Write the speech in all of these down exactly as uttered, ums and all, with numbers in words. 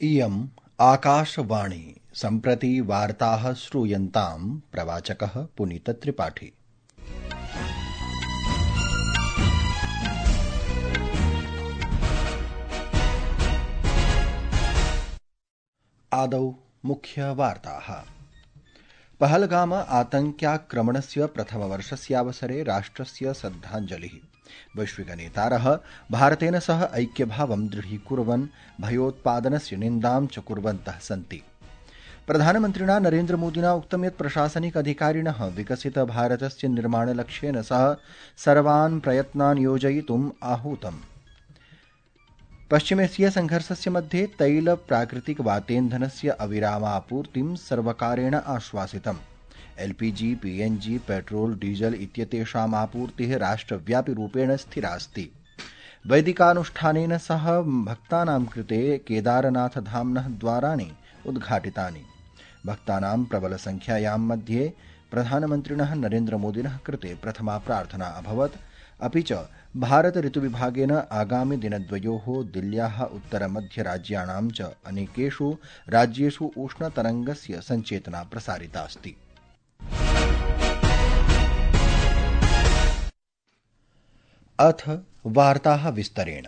इयम् आकाशवाणी सम्प्रति वार्ताः श्रूयन्तां प्रवाचकः पुनीतत्रिपाठी। आदौ मुख्यवार्ताः। पहलगाम आतङ्क्याक्रमणस्य प्रथमवर्षस्यावसरे राष्ट्रस्य श्रद्धाञ्जलिः। वैश्विकनेतारः भारतेन सह ऐक्यभावं दृढीकुर्वन् भयोत्पादनस्य निन्दां च कुर्वन्तः सन्ति। प्रधानमन्त्रिणा नरेन्द्रमोदिना उक्तं यत् प्रशासनिक अधिकारिणः विकसितभारतस्य निर्माणलक्ष्येन सह सर्वान् प्रयत्नान् योजयितुम् आहूतम्। पश्चिमेशिया संघर्षस्य मध्ये तैल प्राकृतिकवातेन्धनस्य अविरामापूर्तिं सर्वकारेण आश्वासितम्। एलपीजी, पीएनजी, पेट्रोल, डीजल इत्येतेषाम् आपूर्तिः राष्ट्रव्यापि रूपेण स्थिरास्ति। वैदिकानुष्ठानेन सह भक्तानां कृते केदारनाथधाम्नः द्वाराणि उद्घाटितानि। भक्तानां प्रबलसंख्यायां मध्ये प्रधानमन्त्रिणः नरेन्द्रमोदिनः कृते प्रथमा प्रार्थना अभवत्। अपि च भारत ऋतुविभागेन आगामि दिनद्वयोः दिल्ल्याः उत्तरमध्यराज्याणां च अनेकेषु राज्येषु उष्णतरङ्गस्य सञ्चेतना प्रसारितास्ति। अथ वार्ताः विस्तरेण।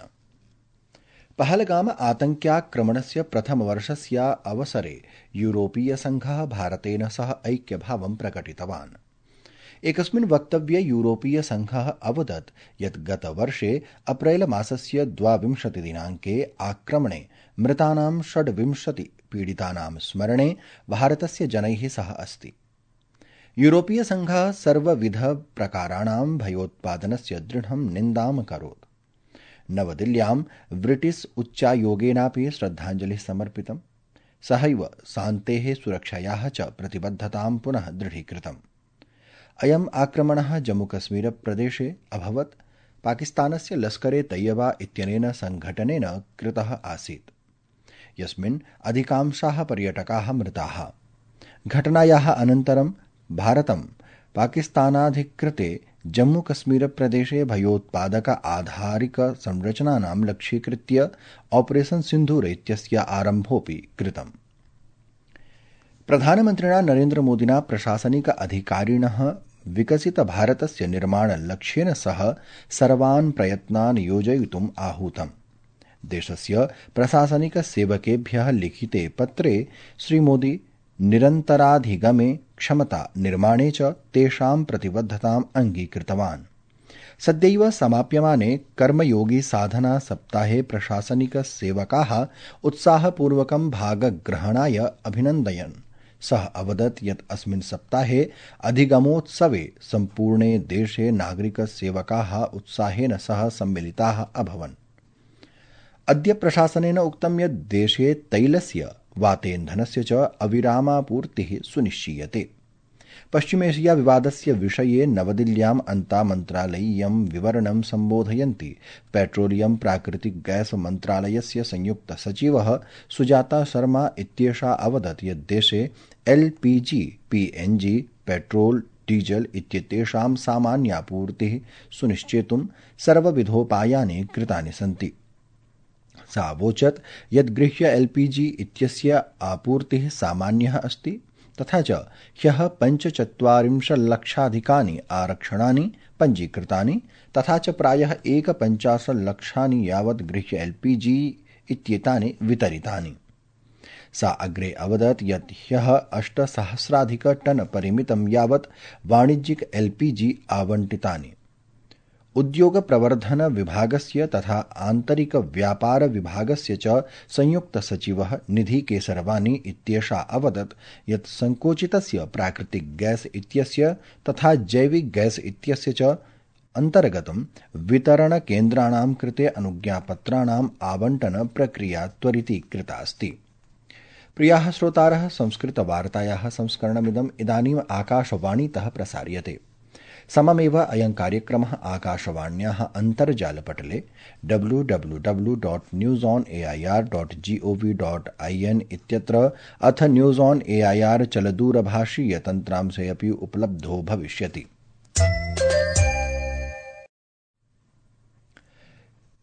पहलगाम आतङ्क्याक्रमणस्य प्रथमवर्षस्य अवसरे यूरोपीयसङ्घः भारतेन सह ऐक्यभावं प्रकटितवान्। एकस्मिन् वक्तव्ये यूरोपीयसङ्घः अवदत् यत् गतवर्षे अप्रैल मासस्य द्वाविंशतिदिनाङ्के आक्रमणे मृतानां षड्विंशति पीडितानां स्मरणे भारतस्य जनैः सह अस्ति। यूरोपीयसङ्घः सर्वविधप्रकाराणां भयोत्पादनस्य दृढं निन्दाम् अकरोत्। नवदिल्ल्यां ब्रिटिश उच्चायोगेनापि श्रद्धाञ्जलिः समर्पितम्। सहैव शान्तेः सुरक्षायाः च प्रतिबद्धतां पुनः दृढीकृतम्। अयम् आक्रमणः जम्मूकश्मीरप्रदेशे अभवत्। पाकिस्तानस्य लश्करे तैयबा इत्यनेन सङ्घटनेन कृतः आसीत्, यस्मिन् अधिकांशाः पर्यटकाः मृताः। घटनायाः अनन्तरं भारतं पाकिस्तानाधिकृते जम्मूकश्मीरप्रदेशे भयोत्पादक आधारिक संरचनानां लक्ष्यीकृत्य ऑपरेशन सिन्धूर इत्यस्य आरम्भोऽपि कृतम्। प्रधानमन्त्रिणा नरेन्द्रमोदिना प्रशासनिक अधिकारिणः विकसितभारतस्य निर्माणलक्ष्येन सह सर्वान् प्रयत्नान् योजयितुम् आहूतम्। देशस्य प्रशासनिकसेवकेभ्यः लिखिते पत्रे श्रीमोदी निरन्तराधिगमे क्षमता निर्माणे च तेषां प्रतिबद्धताम् अङ्गीकृतवान्। सद्यैव समाप्यमाने कर्मयोगी साधना सप्ताहे प्रशासनिकसेवकाः उत्साहपूर्वकं भागग्रहणाय अभिनन्दयन्। सः अवदत् यत् अस्मिन् सप्ताहे अधिगमोत्सवे सम्पूर्णे देशे नागरिकसेवकाः उत्साहेन सह सम्मिलिताः अभवन्। अद्य प्रशासनेन उक्तं यत् देशे तैलस्य वातेन्धनस्य च अविरामापूर्तिः सुनिश्चीयते। पश्चिमेशिया विवादस्य विषये नवदिल्ल्याम् अन्तामन्त्रालयीयं विवरणं सम्बोधयन्ती पेट्रोलियम प्राकृतिक गैस मन्त्रालयस्य संयुक्त सचिवः सुजाता शर्मा इत्येषा अवदत् यत् देशे एलपीजी, पीएनजी, पेट्रोल, डीजल इत्येतेषां सामान्यापूर्तिः सुनिश्चेतुं सर्वविधोपायानि कृतानि सन्ति। सा अवोचत् यत् गृह्य एलपीजी इत्यस्य आपूर्तिः सामान्यः अस्ति, तथा च ह्यः पञ्चचत्वारिंशल्लक्षाधिकानि आरक्षणानि पञ्जीकृतानि, तथा च प्रायः एकपञ्चाशल्लक्षानि यावत् गृह्य एलपीजी इत्येतानि वितरितानि। सा अग्रे अवदत् यत् ह्यः अष्टसहस्राधिक टन परिमितं यावत् वाणिज्यिक एलपीजी आवण्टितानि। उद्योग प्रवर्धन विभागस्य तथा आन्तरिक व्यापार विभागस्य च संयुक्त सचिवः निधि केसरवानी इत्येषा अवदत् यत् संकोचितस्य प्राकृतिक गैस इत्यस्य तथा जैविक गैस इत्यस्य च अन्तर्गतं वितरण केन्द्राणां कृते अनुज्ञापत्राणाम् आवण्टन प्रक्रिया त्वरितीकृता अस्ति। प्रियाः श्रोतारः, संस्कृतवार्तायाः संस्करणमिदम् इदानीम् आकाशवाणीतः प्रसार्यते। सममेव अयं कार्यक्रमः आकाशवाण्याः अन्तर्जालपटले W W W dot news on A I R dot G O V dot I N इत्यत्र अथ news on A I R चलदूरभाषीयतन्त्रांशे अपि उपलब्धो भविष्यति।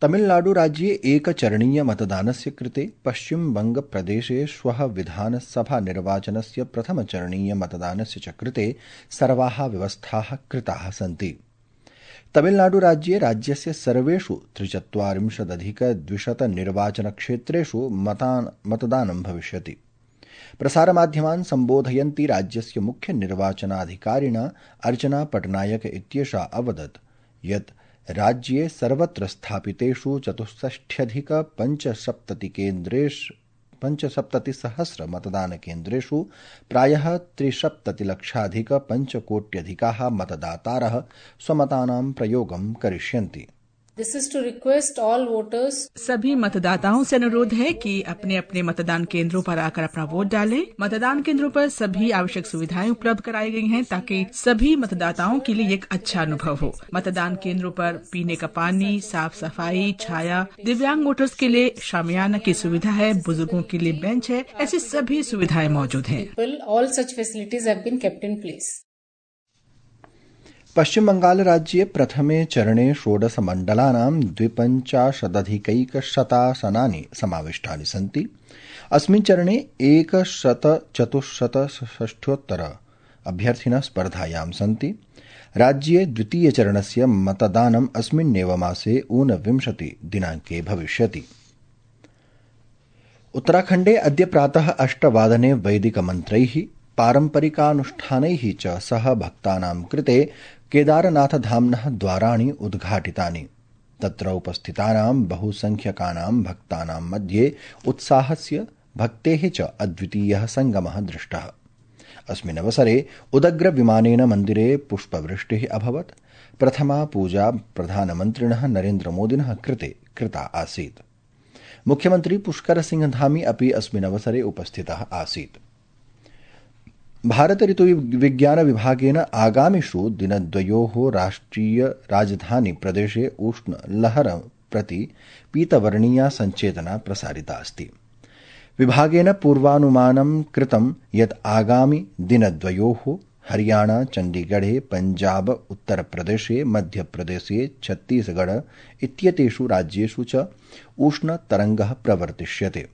तमिलनाडुराज्ये एकचरणीयमतदानस्य कृते पश्चिमबंगप्रदेशे श्वः विधानसभानिर्वाचनस्य प्रथमचरणीयमतदानस्य च कृते सर्वाः व्यवस्थाः कृताः सन्ति। तमिलनाडुराज्ये राज्यस्य सर्वेषु त्रिचत्वारिंशदधिकद्विशतनिर्वाचनक्षेत्रेषु मतदानं भविष्यति। प्रसारमाध्यमान् सम्बोधयन्ती राज्यस्य मुख्यनिर्वाचनाधिकारिणा अर्चना पटनायक इत्येषा अवदत् यत् राज्ये सर्वत्र स्थापितेषु चतुष्षष्ट्यधिकपञ्चसप्ततिकेन्द्रेषु पञ्चसप्ततिसहस्र मतदानकेन्द्रेषु प्रायः त्रिसप्ततिलक्षाधिकपञ्चकोट्यधिकाः मतदातारः स्वमतानां प्रयोगं करिष्यन्ति। This is to request all voters. सभी मतदाताओं से अनुरोध है कि अपने अपने मतदान केंद्रों पर आकर अपना वोट डालें। मतदान केंद्रों पर सभी आवश्यक सुविधाएं उपलब्ध कराई गई हैं ताकि सभी मतदाताओं के लिए एक अच्छा अनुभव हो। मतदान केंद्रों पर पीने का पानी, साफ सफाई, छाया, दिव्यांग वोटर्स के लिए शामियाना की सुविधा है, बुजुर्गों के लिए बेंच है, ऐसी सभी सुविधाएं मौजूद हैं। All such facilities have been kept in place. पश्चिम बंगाल राज्ये प्रथमे चरणे षोडश मण्डलानां द्विपञ्चाशदधिकैकशतासनानि समाविष्टानि सन्ति। अस्मिन् चरणे एकशतचतुश्शतषष्ठ्योत्तर अभ्यर्थिनः स्पर्धायां सन्ति। राज्ये द्वितीयचरणस्य मतदानम् अस्मिन्नेव मासे ऊनविंशति दिनाङ्के भविष्यति। उत्तराखण्डे अद्य प्रातः अष्टवादने वैदिकमन्त्रैः पारम्परिकानुष्ठानैः च सह भक्तानां कृते केदारनाथधाम्नः द्वाराणि उद्घाटितानि। तत्र उपस्थितानां बहुसंख्यकानां भक्तानां मध्ये उत्साहस्य भक्तेः च अद्वितीयः सङ्गमः दृष्टः। अस्मिन् अवसरे उदग्रविमानेन मन्दिरे पुष्पवृष्टिः अभवत्। प्रथमा पूजा प्रधानमन्त्रिणः नरेन्द्रमोदिनः कृते कृता आसीत्। मुख्यमन्त्री पुष्करसिंहधामी अपि अस्मिन् अवसरे उपस्थितः आसीत्। भारत ऋतुविज्ञान विभागेन आगामिषु दिनद्वयोः राष्ट्रिय राजधानी प्रदेशे उष्ण लहर प्रति पीतवर्णीया सञ्चेतना प्रसारिता अस्ति। विभागेन पूर्वानुमानं कृतं यत् आगामि दिनद्वयोः हरियाणा, चण्डीगढे, पञ्जाब, उत्तरप्रदेशे, मध्यप्रदेशे, छत्तीसगढ़ इत्येतेषु राज्येषु च उष्णतरङ्गः प्रवर्तिष्यते।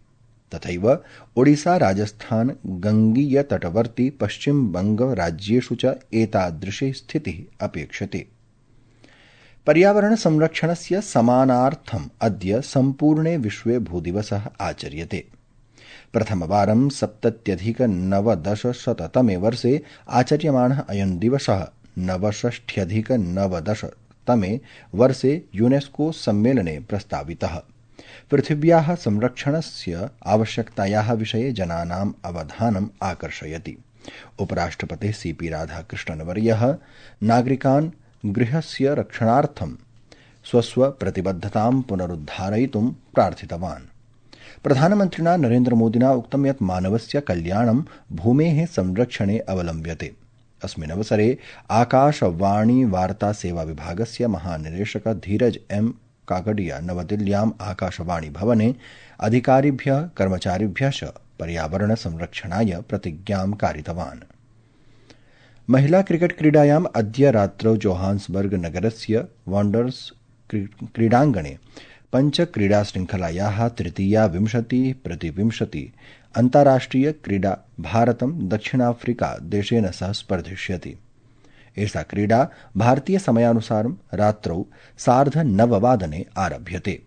तथैव ओडिशा, राजस्थान, गङ्गीयतटवर्ती पश्चिमबंग राज्येषु च एतादृशी स्थितिः अपेक्षते। पर्यावरण संरक्षणस्य समानार्थम् अद्य सम्पूर्णे विश्वे भूदिवसः आचर्यते। प्रथमवारं सप्तत्यधिकनवदशशततमे वर्षे आचर्यमाणः अयं दिवसः नवषष्ट्यधिकनवदशतमे वर्षे यूनेस्को सम्मेलने प्रस्तावितः। पृथिव्याः संरक्षणस्य आवश्यकतायाः विषये जनानाम् अवधानम् आकर्षयति। उपराष्ट्रपतिः सी पी राधाकृष्णन्वर्यः नागरिकान् गृहस्य रक्षणार्थं स्वस्वप्रतिबद्धतां पुनरुद्धारयितुं प्रार्थितवान्। प्रधानमन्त्रिणा नरेन्द्रमोदिना उक्तं यत् मानवस्य कल्याणं भूमेः संरक्षणे अवलम्ब्यते। अस्मिन् अवसरे आकाशवाणी वार्ता सेवा विभागस्य महानिदेशक धीरज एम काकडिया नवदिल्ल्याम् आकाशवाणी भवने अधिकारिभ्यः कर्मचारिभ्यः च पर्यावरण संरक्षणाय प्रतिज्ञां कारितवान्। महिला क्रिकेट क्रीडायाम् अद्य रात्रौ जोहान्सबर्ग नगरस्य वाण्डर्स क्रीडाङ्गणे पञ्चक्रीडाशृङ्खलायाः तृतीया विंशति प्रतिविंशति अन्ताराष्ट्रिय क्रीडा भारतं दक्षिणाफ्रिका देशेन सह स्पर्धिष्यति। एषा क्रीडा भारतीय समयानुसारं रात्रौ सार्धनववादने आरभ्यते।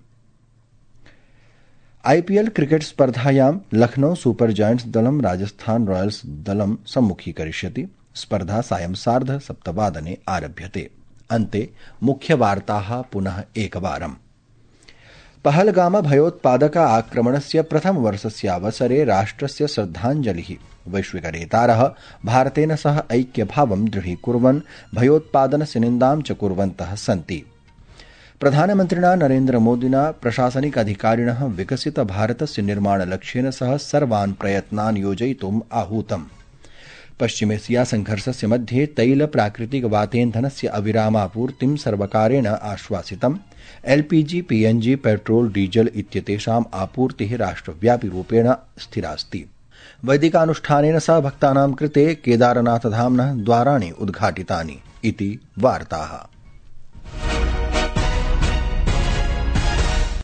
आईपीएल क्रिकेट स्पर्धायां लखनऊ सुपर जायंट्स दलं राजस्थान रॉयल्स दलं सम्मुखीकरिष्यति। स्पर्धा सायं सार्धसप्तवादने आरभ्यते। अन्ते मुख्यवार्ताः पुनः एकवारम्। पहलगाम भयोत्पादक आक्रमणस्य प्रथमवर्षस्यावसरे राष्ट्रस्य श्रद्धाञ्जलिः। वैश्विकनेतारः भारतेन सह ऐक्यभावं दृढीकुर्वन् भयोत्पादनस्य निन्दां च कुर्वन्तः सन्ति। प्रधानमन्त्रिणा नरेन्द्रमोदिना प्रशासनिक अधिकारिणः विकसित भारतस्य निर्माणलक्ष्येन सह सर्वान् प्रयत्नान् योजयितुम् आहूतम्। पश्चिमेशिया संघर्षस्य मध्ये तैल प्राकृतिक वातेन्धनस्य अविरामापूर्तिं सर्वकारेण आश्वासितम्। एलपीजी, पीएनजी, पेट्रोल, डीजल इत्येतेषाम् आपूर्तिः राष्ट्रव्यापी रूपेण स्थिरास्ति। वैदिकानुष्ठानेन सह भक्तानां कृते केदारनाथधाम्नः द्वाराणि उद्घाटितानि इति वार्ताः।